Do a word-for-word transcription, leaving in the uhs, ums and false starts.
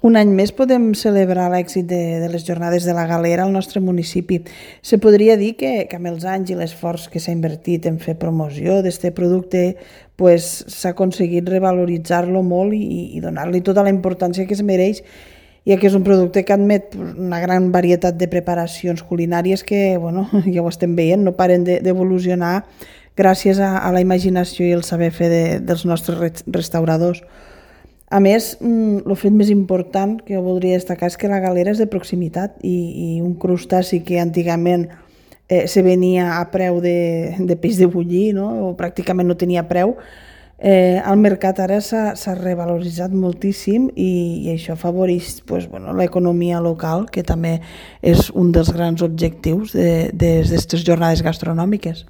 Un any més podem celebrar l'èxit de, de les jornades de la Galera al nostre municipi. Se podria dir que, que amb els anys i l'esforç que s'ha invertit en fer promoció d'aquest producte pues, s'ha aconseguit revaloritzar-lo molt i, i donar-li tota la importància que es mereix, ja que és un producte que admet una gran varietat de preparacions culinàries que, bueno, ja ho estem veient, no paren d'evolucionar gràcies a, a la imaginació i el saber fer de, dels nostres restauradors. A més, el fet més important que jo voldria destacar és que la Galera és de proximitat i, i un crustaci que antigament eh, se venia a preu de, de peix de bullir, no? O pràcticament no tenia preu, eh, al mercat ara s'ha revaloritzat moltíssim i, i això afavoreix pues, bueno, l'economia local, que també és un dels grans objectius d'aquestes de, jornades gastronòmiques.